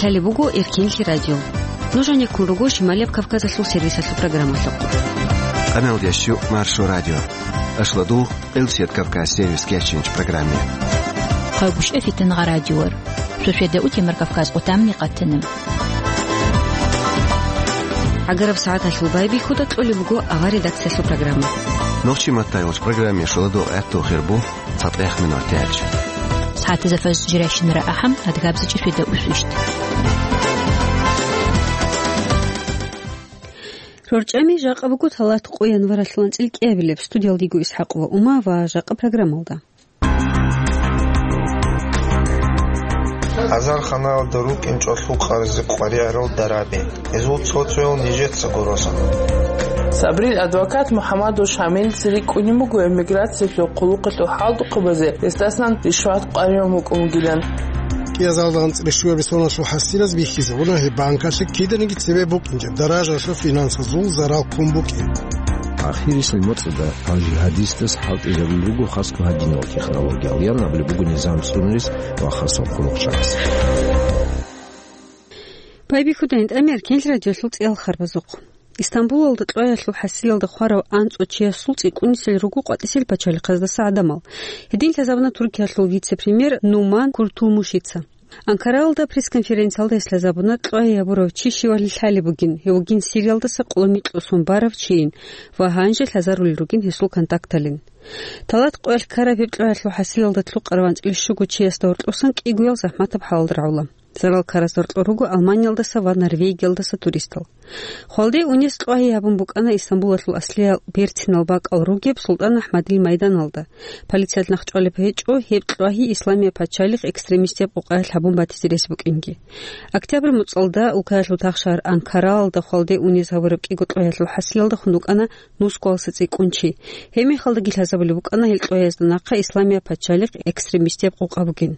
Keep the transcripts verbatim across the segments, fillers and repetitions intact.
Лъалеб буго Эркенлъи радио. Нуж гьанеккун руго Шималияб Кавказалъул сервисалъул программалъухъ. Къаналдиящу Маршо радио. Ашладул Элсият Кавказ сервис кечинч программе. Хъагушев Фитнагъа радиор. Шошеда утемар Кавказ къутамни къатана. ГӀагараб сагӀаталъул байбихьуда кьолеб буго авар редакциялъул программа. Нохчи маттайолч программе шоладо гӀатту хирбу. ЦатӀех минуталъ. СагӀатазда фажр жирайщинара ахӀам, адгабзачӀи шведа усвищт. РорчӀами жакъа буго талат къо январалъул анцӀил кӀиабилеб. Студиялдиго ИсхӀакъ ва Ума ва жакъа программалда. Азарханалда рукӀинчӀо лъукъаразе къваригӀарал дараби. Гьезул цо-цоял нижецаго росана. Сабрил адвокат МухӀаммадов Шамилица рикӀкӀунеб буго эмиграциялъул хъулухъалъул хӀалтӀухъабазе гьесдасан ришват къваригӀун букӀун бугилан. КӀиазалда анцӀила щуабилеб соналъул хӀасилаз бихьизабуна гьеб банкалъе киданиги цебе букӀинчӀеб даражалъул финансазул зарал ккун букӀин. Ахирисел моцӀалда гьав жигьадистас хӀалтӀизабулеб буго хасго гьадинал технологиял, ян абулеб буго низам цӀунарис ва хасаб хъулухъчагӀаз. Байбихьудайин тӀамияр кенлъи радиолъул цӀиял харбазухъ. Истамбулалда кьваялъул хӀасилалда хварав анцӀго чиясул цӀикӀкӀунисел руго къватӀисел пачалихъаздаса гӀадамал. Гьедин лъазабуна Туркиялъул вице-премьер Нуман Куртулмушица. Анкаралда пресс-конференциялда гьес лъазабуна кьвае гьабурав чи щивали лъалеб бугин, гьев вугин Сириялдаса къоло микьго сон барав чийин ва гьанже лъазарулел ругин гьесул контакталин. Талат къоялъ ккараб гьеб кьваялъул хӀасилалда лъукъарав анцӀила щуго чиясда гьоркьосан кӀигоял захӀматаб хӀалалда рагӀула. Зарал ккараз гьоркьор руго Алманиялдаса ва Норвегиялдаса туристал. Хвалде унес кьвагьи гьабун букӀана Истамбулалъул аслиял берцинал бакӀал ругеб СултӀан АхӀмадил майданалда. Полициялъ нахъчӀвалеб гьечӀо гьеб кьвагьи Исламияб пачалихъ экстремистияб къукъаялъ гьабун батизе рес букӀинги. Октябрь моцӀалда улкаялъул тахшагьар Анкаралда хвалде унес гьабураб кӀиго кьваялъул хӀасилалда хун рукӀана нусгоялдаса цӀикӀкӀун чи. Гьеб мехалдаги лъазабулеб букӀана гьел кьваязда нахъа Исламияб пачалихъ экстремистияб къукъа бугин.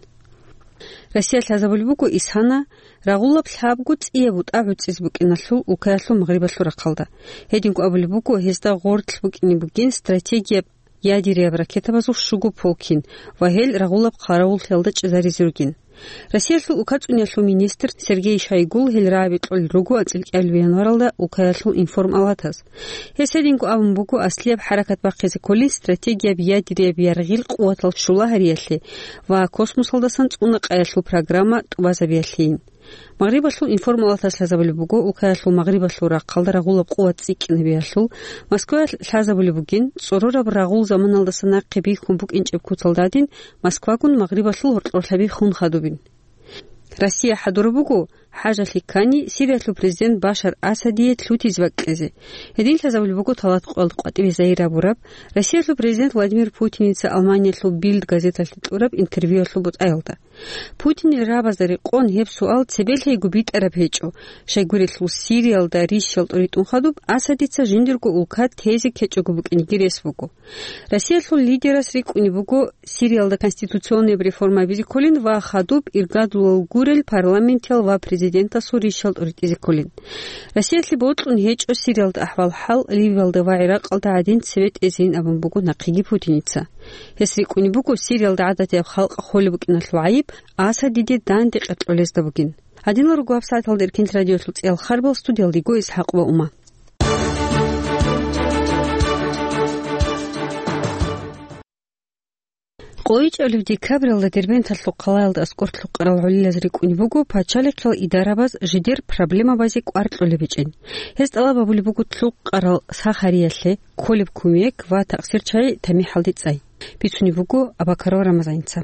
Россиялъ лъазабулеб буго исана рагъулаб лъабго цӀияб бутӀа гӀуцӀизе букӀиналъул улкаялъул магърибалъул рахъалда. Гьединго абулеб буго, гьезда гъорлъ букӀине бугин стратегияб ядерияб ракетабазул щуго полкин ва гьел рагъулаб хъаравуллъиялда чӀезаризе ругин. Россиялъул улкацӀуниялъул министр Сергей Шойгул гьел рагӀаби кьолел руго анцӀила кӀиабилеб январалда улкаялъул информалатаз. Гьес гьединго абун буго, аслияб хӀаракат бахъизе кколин стратегияб ядерияб яргъил къуватал щула гьариялъе ва космосалдасан цӀуна къаялъул программа тӀубазабиялъейин. Магърибалъул информалатас лъазабулеб буго, улкаялъул магърибалъул рахъалда рагъулаб къуват цӀикӀкӀинабиялъул, Москваялъ лъазабулеб бугин, цӀорораб рагъул заманалдаса нахъе бихьун букӀинчӀеб куцалда гьадин, Москвагун магърибалъул гьоркьорлъаби хун хадубин. Россия хӀадураб буго, хӀажалъи ккани, Сириялъул президент Башар Асадие лъутизе бакӀизе. Гьедин лъазабулеб буго талат къоялда къватӀибе загьир гьабураб, Россиялъул президент Владимир Путиница Алманиялъул Билд газеталъе кьураб интервьюялъул бутӀаялда. Путинил рагӀабазда рекъон гьеб суал цебелъайго битӀараб гьечӀо, щайгурелъул Сириялда рищал тӀуритӀун хадуб Асадица жиндирго улка тезе ккечӀого букӀинеги рес буго. Россиялъул лидерас рикӀкӀунеб буго Сириялда конституционный реформа гьабизе кколин ва хадуб иргадулал гурел парламентиял ва президентасул рищал тӀуритӀизе кколин. Россиялъе бокьун гьечӀо Сириялда ахӀвал-хӀал, Ливиялда ва ГӀиракъалда гӀадин цебе тӀезейин абун буго нахъеги Путиница. Гьес рикӀкӀунеб буго Сириялда гӀадатияб халкъ холеб букӀиналъул гӀайиб Асадиде данде къеркьолезда бугин. Гьадинал руго гьабсагӀаталда Эркенлъи радиолъул цӀиял харбал, студиялдего ИсхӀакъ ва Ума. КъойчӀалев декабралда Дербенталъул хъалаялда аскӀор лъукъарал гӀолилаз рикӀкӀунеб буго пачалихъал идарабаз жидер проблемабазе кӀвар кьолеб гьечӀин. Гьез тӀалаб гьабулеб буго лъукъарал сахариялъе кколеб кумек ва такъсир чагӀи тамихӀалде цӀай. Бицунеб буго Абакаров Рамазаница.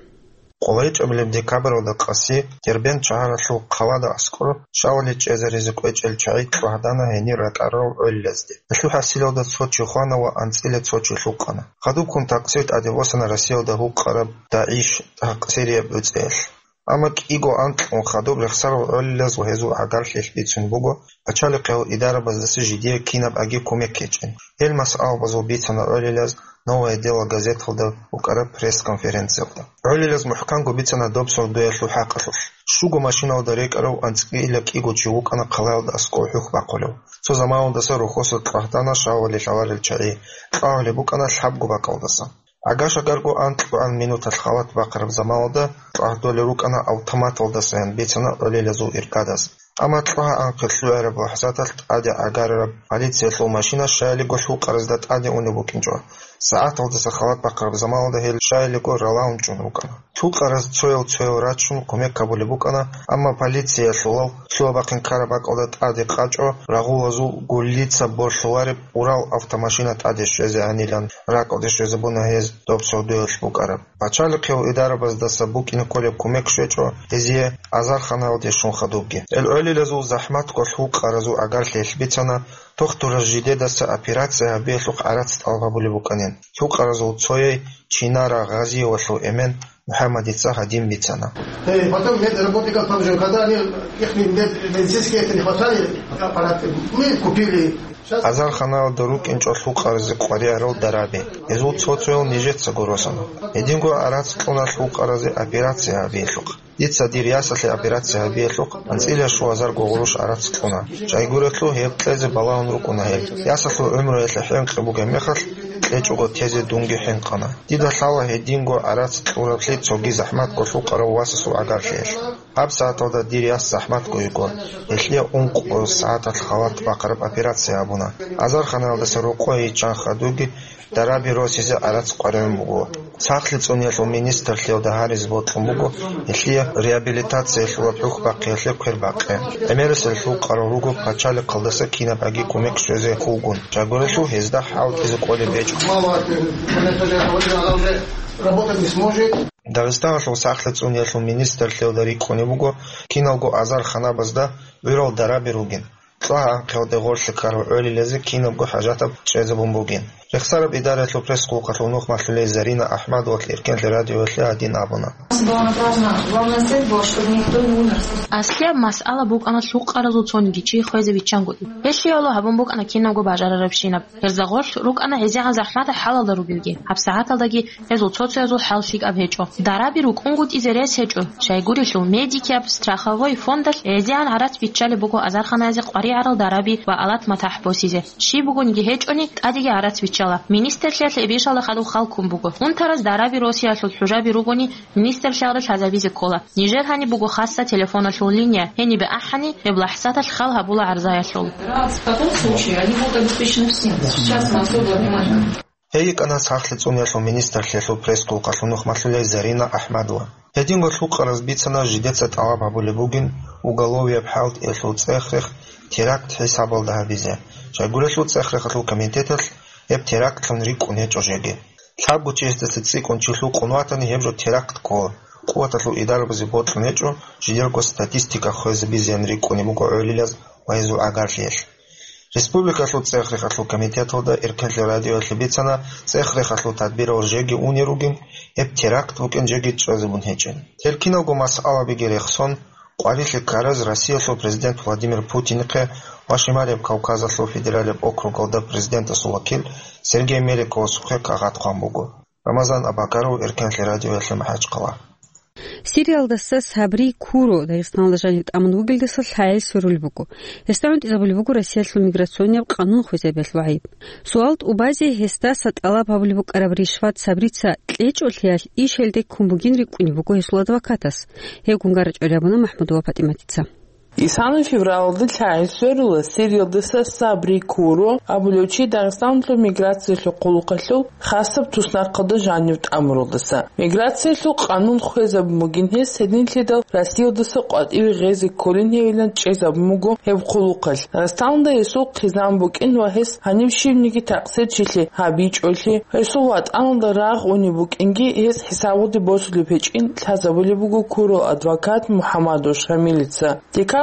КъойчӀабилеб декабралда къаси Дербент шагьаралъул хъалада аскӀор шавали чӀезаризе кӀвечӀел чагӀи чӀвагьдана гьенир ракӀарал гӀолилазде. Гьелъул хӀасилалда цо чи хвана ва анцӀила цо чи лъукъана. Хадубккун такъсир тӀаде босана Россиялда гьукъараб ДАИШ такъсирияб гӀуцӀиялъ. Амма кӀиго анкьун хадуб рехсарал гӀолилаз ва гьезул гӀагарлъиялъ бицун буго, пачалихъал идарабаздаса жидее кинаб аги кумек гьечӀин. Гьел масъалабазул бицана гӀолилаз «Новое дело» газеталда букӀараб пресс-конференциялда. ГӀолилаз мухӀканго бицана доб сордоялъул хӀакъалъулъ. Щуго машиналда рекӀарав анцӀила кӀиго чи вукӀана хъалаялда аскӀов хӀухь бахъулев. Цо заманалдаса рухьоса чӀвагьдана шавали лъаларел чагӀи, кьвагьулеб букӀана лъабго бакӀалдаса. ГӀага-шагарго анкьгоан минуталъ халат бахъараб заманалда кьвагьдолел рукӀана автоматалдасаян бицана гӀолилазул иркадас. Амма кьвагьа анкье лъугӀараб лахӀзаталъ тӀаде гӀагарараб полициялъул машина щаялиго лъукъаразда тӀаде унеб букӀинчӀо. СагӀаталдаса халат бахъараб заманалда гьел щаялиго ралаун чӀун рукӀана. Лъукъараз цоял-цоял рачун кумек гьабулеб букӀана, амма полициялъулал лъугьа-бахъин ккараб бакӀалда тӀаде къачӀо рагъулазул гуллица борлъулареб Урал автомашина тӀаде щвезегӀанилан ракӀалде щвезабуна гьез доб сордоялъ букӀараб. Пачалихъиял идарабаздаса букӀине кколеб кумек щвечӀо гьезие азарханаялде щун хадубги. Гьел гӀолилазул захӀматго лъукъаразул гӀагарлъиялъ бицана, тухтураз жидедаса операция гьабиялъухъ гӀарац тӀалаб гьабулеб букӀанин. Лъукъаразул цояй Чинара Гъазиевалъул эмен МухӀаммадица гьадин бицана. Э, потом медработников там же, когда они, их мед-, медицинские это не хватали, аппараты, мы купили. Щас Азарханаялда рукӀинчӀо лъукъаразе къваригӀарал дараби. Гьезул цо-цоял нижецаго росана. Гьединго гӀарац кьуна лъукъаразе операция гьабиялъухъ. Дица дир ясалъе операция гьабиялъухъ анцӀила щуазарго гъурущ гӀарац кьуна. Щайгурелъул гьеб кьезе балагьун рукӀуна гьел. Ясалъул гӀумруялъе хӀинкъи бугеб мехалъ, кьечӀого тезе дунги хӀинкъана. Дида лъала гьединго гӀарац кьураблъи цоги захӀматго лъукъарав васасул гӀагарлъиялъ. Гьаб сагӀаталда дир яс захӀматго йиго. Гьелъие ункъо сагӀаталъ халат бахъараб операция гьабуна. Азарханаялдаса рокъое йиччан хадуги дараби росизе гӀарац къваригӀун буго. Сахлъи цӀуниялъул министрлъиялда гьаризе бокьун буго гьелъие реабилитациялъулаб хӀухь бахъиялъе квербакъи. ГӀемерисел лъукъарал руго пачалихъалдаса кинабгӀаги кумек щвезе хьулгун. Щайгурелъул гьезда хӀалтӀизе кӀолеб гьечӀо. Мало, э, работать не сможет. Дагъистаналъул сахлъи цӀуниялъул министрлъиялда рикӀкӀунеб буго киналго азарханабазда гӀурал дараби ругин. Кьвагьа анкьиялде гъорлъе ккарал гӀолилазе кинабго хӀажатаб чӀезабун бугин. Рехсараб идараялъул пресс-хъулухъалъув нухмалъулей Зарина АхӀмадовалъ Эркенлъи радиоялъе гьадин абуна. Главная цель была, чтобы никто не умер. Аслияб масъала букӀана лъукъаразул цониги чи хвезе виччангутӀи. Гьелъиялъул гьабун букӀана кинабго бажарарабщинаб. Гьезда гъорлъ рукӀана гьезегӀан захӀматал хӀалалда ругелги, гьаб сагӀаталдаги гьезул цо-цоязул хӀал лъикӀаб гьечӀо. Дараби рукӀунгутӀизе рес гьечӀо, щайгурелъул медикияб страховой фондалъ гьезегӀан гӀарац биччалеб буго азарханаязе къваригӀарал дараби ва алат-матахӀ босизе. Щиб бугониги гьечӀони, тӀадеги гӀарац биччала. Министрлъиялъ эбешалда хадуб хал ккун буго. Унтараз дараби росиялъул хӀужаби ругони, министрлъиялда лъазабизе ккола. Нижер гьаниб буго хасса телефоналъул линия, гьенибе ахӀани, гьеб лахӀзаталъ хал гьабула гӀарзаялъул. Гьей йикӀана сахлъи цӀуниялъул министрлъиялъул пресс-хъулухъалъул нухмалъулей Зарина АхӀмадова. Гьединго лъукъараз бицана жидеца тӀалаб гьабулеб бугин уголовияб хӀалтӀиялъул цӀех-рех теракт хӀисабалда гьабизе. Щайгурелъул цӀех-рехалъул комитеталъ гьеб терактлъун рикӀкӀун гьечӀо жеги. Лъабго чиясдаса цӀикӀкӀун чи лъукъун ватани, гьеб жо теракт ккола. Къуваталъул идарабазе бокьун гьечӀо жидерго статистика хвезабизеян рикӀкӀунеб буго гӀолилаз ва гьезул гӀагарлъиялъ. Республикалъул цӀех-рехалъул комитеталда Эркенлъи радиоялъе бицана, цӀех-рехалъул тадбирал жеги унел ругин, гьеб теракт букӀин жеги чӀезабун гьечӀин. Гьел киналго масъалабиги рехсон, къварилъи ккараз Россиялъул президент Владимир Путинихъе ва Шималияб Кавказалъул федералияб округалда президентасул вакил Сергей Меликовасухъе кагъат хъван буго. Рамазан Абакаров, Эркенлъи радиоялъе МахӀачхъала. Сириялдаса Сабри Куро Дагъистаналда жанив тӀамун вугелдаса лъагӀел сверулеб буго. Гьесда гӀунтӀизабулеб буго Россиялъул миграционияб къанун хвезабиялъул гӀайиб. Суал тӀубазе гьесдаса тӀалаб гьабулеб букӀараб ришват Сабрица кьечӀолъиялъ иш гьелде ккун бугин рикӀкӀунеб буго гьесул адвокатас. Гьеб гунгарачӀолеб абуна МахӀмудова ПатӀиматица. Исана февралалда лъагӀел сверула Сириялдаса Сабри Куро абулев чи Дагъистаналъул миграциялъул хъулухъалъул хасаб туснахъалда жанив тӀамуралдаса. Миграциялъул къанун хвезабун бугин гьес, гьединлъидал Россиялдаса къватӀиве гъезе кколин гьевилан чӀезабун буго гьеб хъулухъалъ. Дагъистаналда гьесул хъизан букӀин ва гьес гьанив щивниги такъсирчилъи гьабичӀолъи, гьесул ватӀаналда рагъ унеб букӀинги гьес хӀисабалде босулеб гьечӀин лъазабулеб буго Курол адвокат МухӀаммадов Шамилица.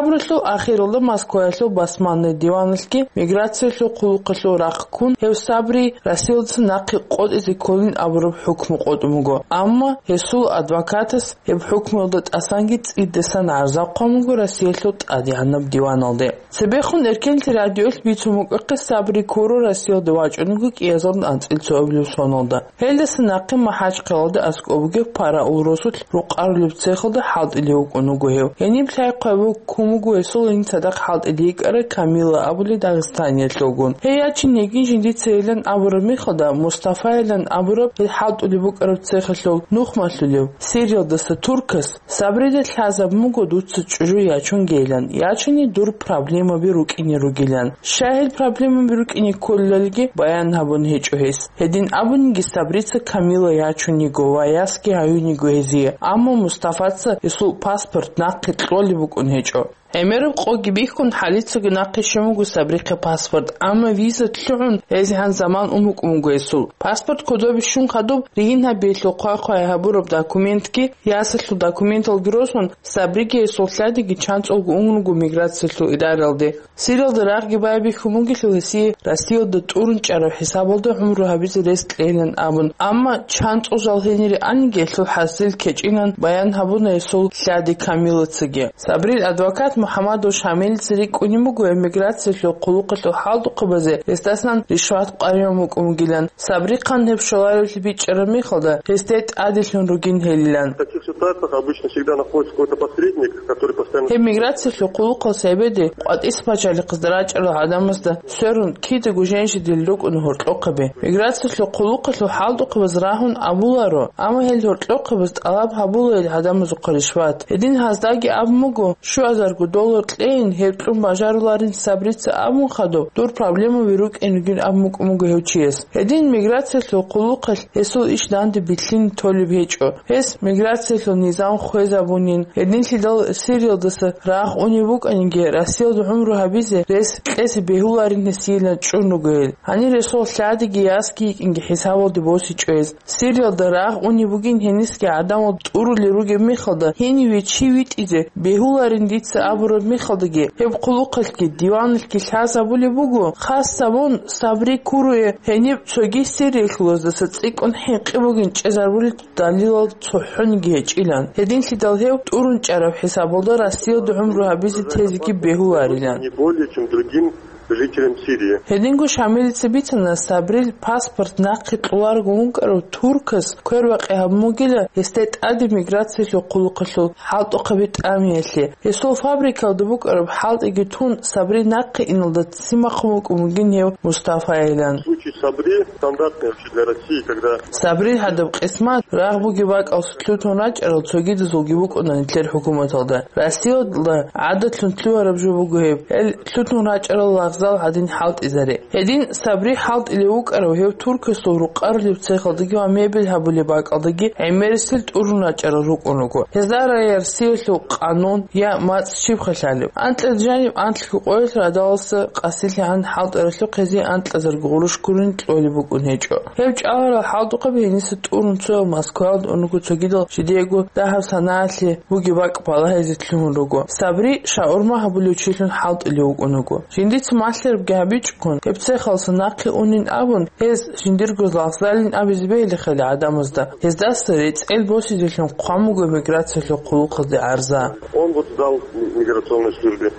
Декабралъул ахиралда Москваялъул басманный диваналъги миграциялъул хъулухъалъул рахъ ккун гьев Сабри Россиялдаса нахъе къотӀизе кколин абураб хӀукму къотӀун буго, амма гьесул адвокатас гьеб хӀукмуялда тӀасанги цӀидасан гӀарза хъван буго Россиялъул тӀадегӀанаб диваналде. Цебехун Эркенлъи радиоялъ бицун букӀахъе Сабри Куро Россиялде вачӀун вуго кӀиазда анцӀила цоабилеб соналда. Гьелдаса нахъе МахӀачхъалада аскӀоб бугеб параул росулъ рукъарулеб цехалда хӀалтӀулев вукӀун вуго гьев. Гьениб лъай хъвабу кум Гьесул гьениб цадахъ хӀалтӀиде йикӀарай Камила абулей дагъистаниялъулгун. Гьей ячине йигин жиндица йилан абураб мехалда, Мустафайилан абураб гьел хӀалтӀулеб букӀараб цехалъул нухмалъулев Сириялдаса туркас Сабрида лъазабун буго дуца чӀужу ячунгейилан, ячине дур проблемаби рукӀине ругилан. Щай гьел проблемаби рукӀине кколелалги баян гьабун гьечӀо гьес. Гьедин абуниги, Сабрица Камила ячун йиго ва ясги гьаюн йиго гьезие, амма Мустафаца гьесул паспорт нахъе кьолеб букӀун гьечӀо. ГӀемераб къоги бихьун, хӀалицаго нахъе щун буго Сабрихъе паспорт, амма виза лъугӀун гьезегӀан заман ун букӀун буго гьесул. Паспорт кодобе щун хадуб, ригьин гьабиялъул хъвай-хъвай гьабураб документги, ясалъул документалги росун, Сабриги гьесул лъадиги чанцӀулго ун руго миграциялъул идаралде. Сириялда рагъги байбихьун бугелъул гьесие Россиялда тӀурун чӀараб хӀисабалда гӀумру гьабизе рес кьейилан абун. Амма чанцӀул жал гьенире аниги гьелъул хӀасил кечӀинан баян гьабуна гьесул лъади Камилацаги. Сабрил адвокат МухӀаммадов Шамилица рикӀкӀунеб буго эмиграциялъул хъулухъалъул хӀалтӀухъабазе гьесдасан ришват къваригӀун букӀун бугилан. Сабрихъан гьеб щоларевлъи бичӀчӀараб мехалда, гьесде тӀаделъун ругин гьелилан. В таких ситуациях обычно всегда находится какой-то посредник, который постоянно... Гьеб миграциялъул хъулухъалъ гьебеде къватӀис пачалихъазда рачӀарал гӀадамазда сверун кидаго женщидил рукӀуна гьоркьохъаби. Миграциялъул хъулухъалъул хӀалтӀухъабаз рагьун абуларо, амма гьел гьоркьохъабаз тӀалаб гьабула гьел гӀадамазухъа ришват. Гьедин гьаздаги абун буго, щуазарго доллар кьейин, гьеб кьун бажаруларин Сабрица абун хадуб, дур проблемаби рукӀин ругин абун букӀун буго гьев чияс. Гьедин миграциялъул хъулухъалъ гьесул иш данде билълъине толеб гьечӀо. Гьес миграциялъул низам хвезабунин, гьединлъидал Сириялдаса рагъ унеб букӀаниги, Россиялда гӀумру гьабизе рес кьезе бегьуларин гьесиилан чӀун руго гьел. Гьанир гьесул лъадиги ясги йикӀинги хӀисабалде босичӀо гьез. Сириялда рагъ унеб бугин гьенисги гӀадамал тӀурулел ругеб мехалда, гьениве чи витӀизе бегьуларин дица абураб мехалдаги, гьеб хъулухъалъги диваналъги лъазабулеб буго, хасабун Сабри Куруе гьениб цоги сириялъулаздаса цӀикӀкӀун хӀинкъи бугин чӀезарбулел далилал цохӀониги гьечӀилан. Гьединлъидал гьев тӀурун чӀараб хӀисабалда Россиялда гӀумру гьабизе тезеги бегьуларилан. Не более чем другим жителям Сирии. Гьединго Шамилица бицана, Сабрил паспорт нахъе кьоларого вукӀарав туркас квербакъи гьабун бугила гьесда тӀаде миграциялъул хъулухъалъул хӀалтӀухъаби тӀамиялъе. Гьесул фабрикалда букӀараб хӀалтӀиги тун, Сабри нахъе иналда ццин бахъун вукӀун вугин гьев Мустафайилан. Случай Сабри стандартный вообще для России, когда... Сабрил гьадаб къисмат рагъ бугеб бакӀалъ лъутун рачӀарал цогидазулги букӀуна нилъер хӀукуматалда. Россиялда гӀадатлъун лъугьараб жо буго гьеб, гьел лъутун рачӀарал лагъзал гьадин хӀалтӀизаре. Гьедин Сабри хӀалтӀилев вукӀарав гьев туркасул рукъарулеб цехалдаги ва мебель гьабулеб бакӀалдаги гӀемерисел тӀурун рачӀарал рукӀун руго. Гьезда раяр сиялъул къанун я мацӀ щибха лъалеб. Анкьида жаниб анлъго къоялъ радаласа къасилъигӀан хӀалтӀаралъухъ гьезие анкьазарго гъурущ гурин кьолеб букӀун гьечӀо. Гьев чӀаларал хӀалтӀухъаби гьениса тӀурун цоял Москваялда ун руго, цогидал жидеего дагьаб санаялъе бугеб бакӀ балагьизе лъугьун руго. Сабри шаурма гьабулев чилъун хӀалтӀулев вукӀун вуго. Жиндица малъарабги гьабичӀого, гьеб цехалдаса нахъе унин абун, гьез жиндирго лагъзалин абизе бегьилихъали гӀадамазда, гьездаса рецӀел босизелъун хъван буго миграциялъул хъулухъазде гӀарза. Он вот сдал миграционной службе.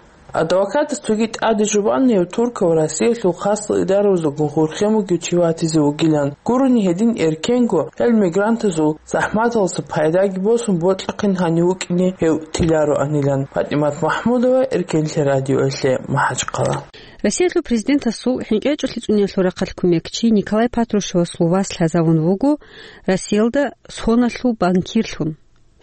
Адвокатас цоги тӀаде жубанив туркав Россиялъул хасал идаразулгун хурхен вугев чи ватизе вугилан. Гурони гьедин эркенго, гьел мигрантазул захӀматалъа пайдаги босун бокьухъин гьанив вукӀине гьев тилароанилан. ПатӀимат Махмудова, Эркенлъи радиоялъе, МахӀачхъала. Россиялъул президентасул хӀинкъи гьечӀолъи цӀуниялъул рахъалъ кумекчи Николай Патрушевасул вас лъазавун вуго Россиялда соналъул банкирлъун.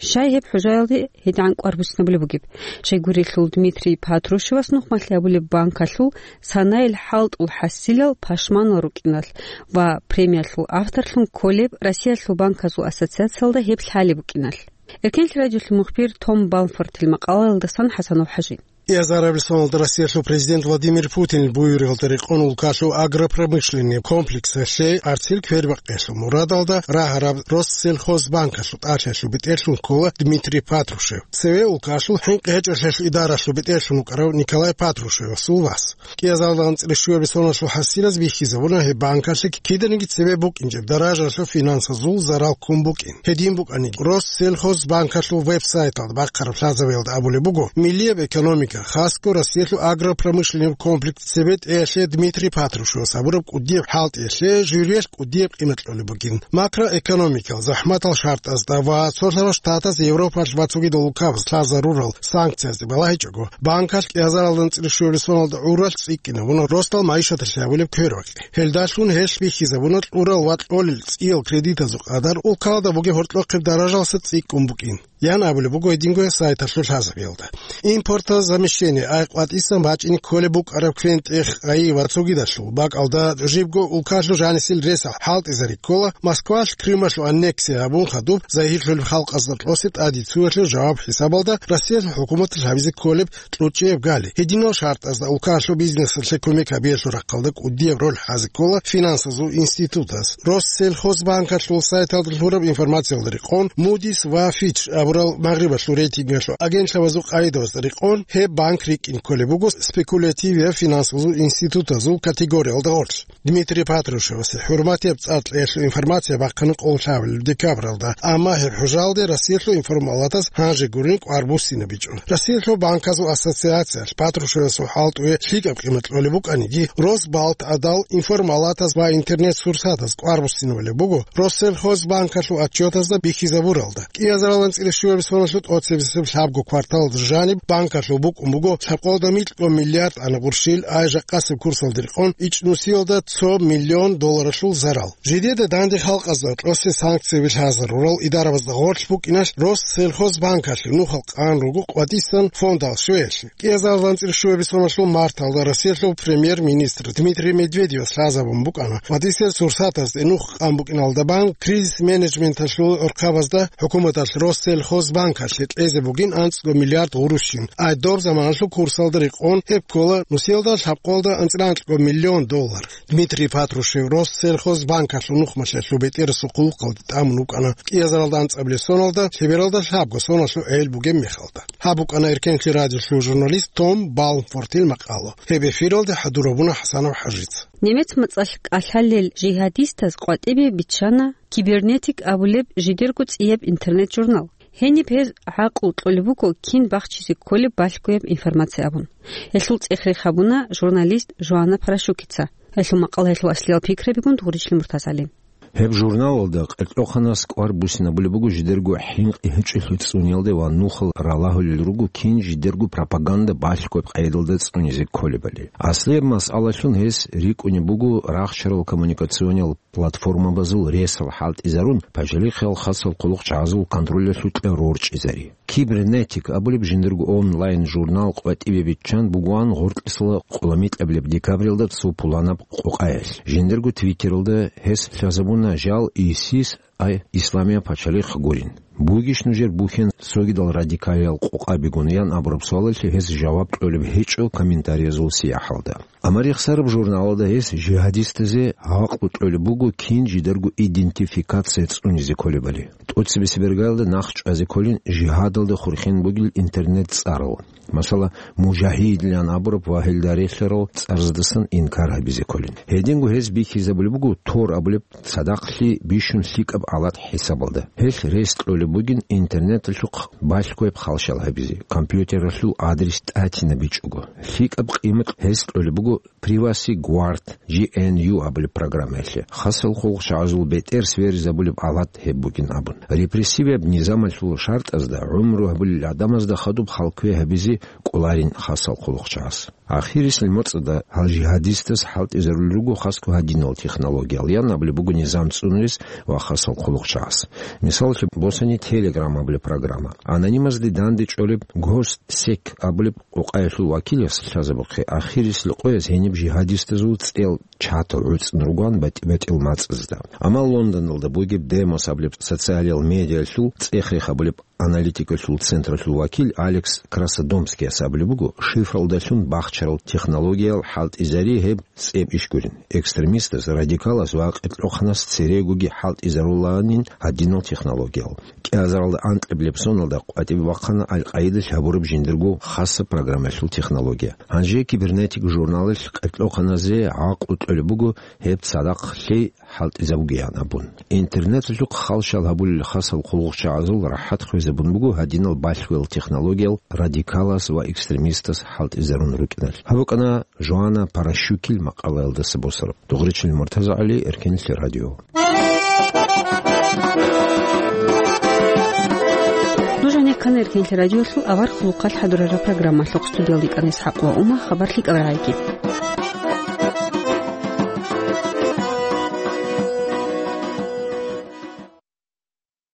Щай гьеб хӀужаялде гьедигӀан кӀвар буссинабулеб бугеб? Щайгурелъул Дмитрий Патрушевас нухмалъи абулеб банкалъул санаил хӀалтӀул хӀасилал пашманал рукӀиналъ ва премиялъул авторлъун кколеб Россиялъул банказул ассоциациялда гьеб лъалеб букӀиналъ. Эркенлъи радиолъул мухбир Том Балфортил макъалаялдасан ХӀасанов ХӀажи. Кьезараб рисуналда Россиялъул президент Владимир Путинил буюригьалда рекъон улкалъул агропромышленный комплексалъе арцил квербакъиялъул мурадалда рагьараб Россельхозбанкалъул тӀалъиялъул бетӀерлъун ккола Дмитрий Патрушев. Цеве улкалъул хӀинкъи гьечӀолъиялъул идаралъул бетӀерлъун вукӀарав Николай Патрушевасул вас. Кьезалда анцӀила щуабилеб соналъул хӀасилаз бихьизабуна гьеб банкалъе киданиги цебе букӀинчӀеб даражалъул финансазул зарал ккун букӀин. Гьедин букӀаниги, Россельхозбанкалъул веб-сайталда бахъараб лъазабиялда абулеб буго, миллияб экономика экономика, хасго Россиялъул агропромышленный комплекс цебетӀеялъе Дмитрий Патрушевас гьабураб кӀудияб хӀалтӀиялъе жюриялъ кӀудияб къимат кьолеб бугин. Макроэкономикал захӀматал шартӀазда ва цолъарал штатаз Европалъ ва цогидал улкабаз лъазарурал санкциязде балагьичӀого, банкалъ кӀиазаралда анцӀила щуабилеб соналда гӀуралъ цӀикӀкӀинабуна росдал майишаталъе гьабулеб квербакъи. Гьелдалъун гьелъ бихьизабуна кьурал ва кьолел цӀиял кредитазул къадар улкалда бугеб гьоркьохъеб даражалъа цӀикӀкӀун букӀин, ян абулеб буго гьединго сайталъул лъазабиялда. Импортозамещение, ай къватӀисан бачӀине кколеб букӀараб квен-тӀех, ай ва цогидалъул бакӀалда жибго улкалъул жанисел ресал хӀалтӀизари ккола, Москвалъ Крымалъул аннексия гьабун хадуб загьирлъулеб халкъазда кьосе тӀаде цоялъул жаваб хӀисабалда Россиялъул хӀукуматалъ гьабизе кколеб кьучӀияб гали. Гьединал шартӀазда улкалъул бизнесалъе кумек гьабиялъул рахъалда кӀудияб роль хӀазе ккола финансазул институтаз. Россельхозбанкалъул сайталда лъураб информациялда рекъон, Moody's ва Fitch абурал Магърибалъул рейтингалъул агентлъабазул къагӀидабазда рекъон, гьеб банк рикӀкӀине кколеб буго спекулятивияб финансазул институтазул категориялда гъорлъ. Дмитрий Патрушевасе хӀурматияб цӀар кьеялъул информация бахъана къоло лъабабилеб декабралда, амма гьеб хӀужалде Россиялъул информалатаз гьанже гурин кӀвар буссинабичӀо. Россиялъул банказул ассоциациялъ Патрушевасул хӀалтӀуе лъикӀаб къимат кьолеб букӀаниги, Росбалт гӀадал информалатаз ва интернет-сурсатаз кӀвар буссинабулеб буго Россельхозбанкалъул отчетазда бихьизабуралда. КӀиазаралан цӀила щуабилеб соналъул тӀоцебесеб лъабго кварталалда жаниб банкалъул букӀун буго лъабкъоялда микьго миллиард ана гъурщил, ай жакъасеб курсалда рекъон ичӀнусиялда цо миллион долларалъул зарал. Жидеда данде халкъазда кьосе санкцияби лъазарурал идарабазда гъорлъ букӀиналъ Россельхозбанкалъе нухал къан руго къватӀисан фондал щвеялъе. КӀиазаралан цӀила щуабилеб соналъул марталда Россиялъул премьер-министр Дмитрий Медведевас лъазабун букӀана, къватӀисел сурсатазде нух къан букӀиналда бан кризис-менеджменталъул гӀурхъабазда хӀукуматалъ Россельхозбанкалъе кьезе бугин анцӀго миллиард гъурущин, ай доб заманалъул курсалда рекъон гьеб ккола нусиялда лъабкъоялда анцӀила анкьго миллион доллар. Дмитрий Патрушев Россельхозбанкалъул нухмалъиялъул бетӀерасул хъулухъалде тӀамун вукӀана кӀиазаралда анцӀабилеб соналда лъебералда лъабго соналъул гӀел бугеб мехалда. Гьаб букӀана Эркенлъи радиолъул журналист Том Балмфортил макъала. Гьеб эфиралде хӀадурабуна ХӀасанов ХӀажица. Немец мацӀалъ кӀалъалел жигьадистаз къватӀибе биччана Кибернетик абулеб жидерго цӀияб интернет-журнал. Гьениб гьез гӀакълу кьолеб буго кин бахчизе кколеб балъгояб информация абун. Гьелъул цӀех-рех гьабуна журналист Жоанна Парашукица. Гьелъул макъала, гьелъул аслиял пикрабигун Дугъричлъи Муртазали. Гьеб журналалда къеркьоханас кӀвар буссинабулеб буго жидерго хӀинкъи гьечӀолъи цӀуниялде ва нухал ралагьулел руго кин жидерго пропаганда балъгояб къайдалда цӀунизе кколебали. Аслияб масъалалъун гьес рикӀкӀунеб буго рахчарал коммуникационал платформабазул ресал хӀалтӀизарун, пачалихъал хасал хъулухъчагӀазул контролялъукьа рорчӀизари. Кибернетик абулеб жиндирго онлайн-журнал къватӀибе биччан бугоан гъоркьисала къуламикьабилеб декабралда цо пуланаб къокъаялъ. Жиндирго Твиттералда гьес лъазабуна жал ИСИС, ай Исламия пачалихъ гурин. Бугищ нужер бухьен цогидал радикалиял къокъабигун ян абураб суалалъе гьес жаваб кьолеб гьечӀо комментариязул сияхӀалда. Амма рехсараб журналалда гьес жигьадистазе гӀакълу кьолеб буго кин жидарго идентификация цӀунизе кколебали. ТӀоцебесеб иргаялда нахъ чӀвазе кколин жигьадалда хурхен бугел интернет-цӀарал. Масала, мужагьидилан абураб ва гьелда релълъарал цӀарздасан инкар гьабизе кколин. Гьединго гьез бихьизабулеб буго Тор абулеб цадахълъи бищун лъикӀаб гӀалат хӀисабалда. Гьелъ рес кьолеб бугин интернеталъухъ балъгояб халщал гьабизе, компьютералъул адрес тӀатинабичӀого. ЛъикӀаб къимат гьез кьолеб буго Privacy Guard, G N U абулеб программаялъе. Хасал хъулухъчагӀазул бетӀер сверизабулеб гӀалат гьеб бугин абун. Репрессивияб низамалъул шартӀазда гӀумру гьабулел гӀадамазда хадуб халкве гьабизе кӀоларин хасал хъулухъчагӀаз. Ахирисел моцӀада гьал жигьадистас хӀалтӀизарулел руго хасго гьадинал технологиял, ян абулеб буго низам цӀунулес ва хасал хъулухъчагӀаз. Мисаллъи босани Telegram абулеб программа. Анонимазде данде чӀолеб Гостсек абулеб къокъаялъул вакилас лъазабухъе, ахирисел къояз гьениб жигьадистазул цӀел чатал гӀуцӀун ругоан батӀи-батӀиял мацӀазда. Амма Лондоналда бугеб Демос абулеб социалиял медиалъул цӀех-рех абулеб аналитикалъул централъул вакил Алекс Красодомскияс абулеб буго, шифралдалъун бахчарал технологиял хӀалтӀизари гьеб цӀеб иш гурин. Экстремистас, радикалас ва къеркьоханас церегоги хӀалтӀизарулаанин гьадинал технологиял. Азаралда анкьабилеб соналда къватӀибе бахъана Аль-Къаидалъ гьабураб жиндирго хасаб программаялъул технология. Гьанже «Кибернетик» журналалъ къеркьохъаназе гӀакълу кьолеб буго гьеб цадахъ лъей хӀалтӀизабугеян абун. Интернеталъухъ халщал гьабулел хасал хъулухъчагӀазул рахӀат хвезабун буго гьадинал балъгоял технологиял радикалас ва экстремистас хӀалтӀизарун рукӀиналъ. Гьаб букӀана Жоана Паращукил макъалаялдаса босараб. Дугъричил МуртазагӀали, Эркенлъи радио. Нуж гьанеккана Эркенлъи радиолъул авар хъулухъалъ хӀадурараб программалъухъ. Студиялда йикӀана ИсхӀакъ ва Ума. Хабар лъикӀаб рагӀайги.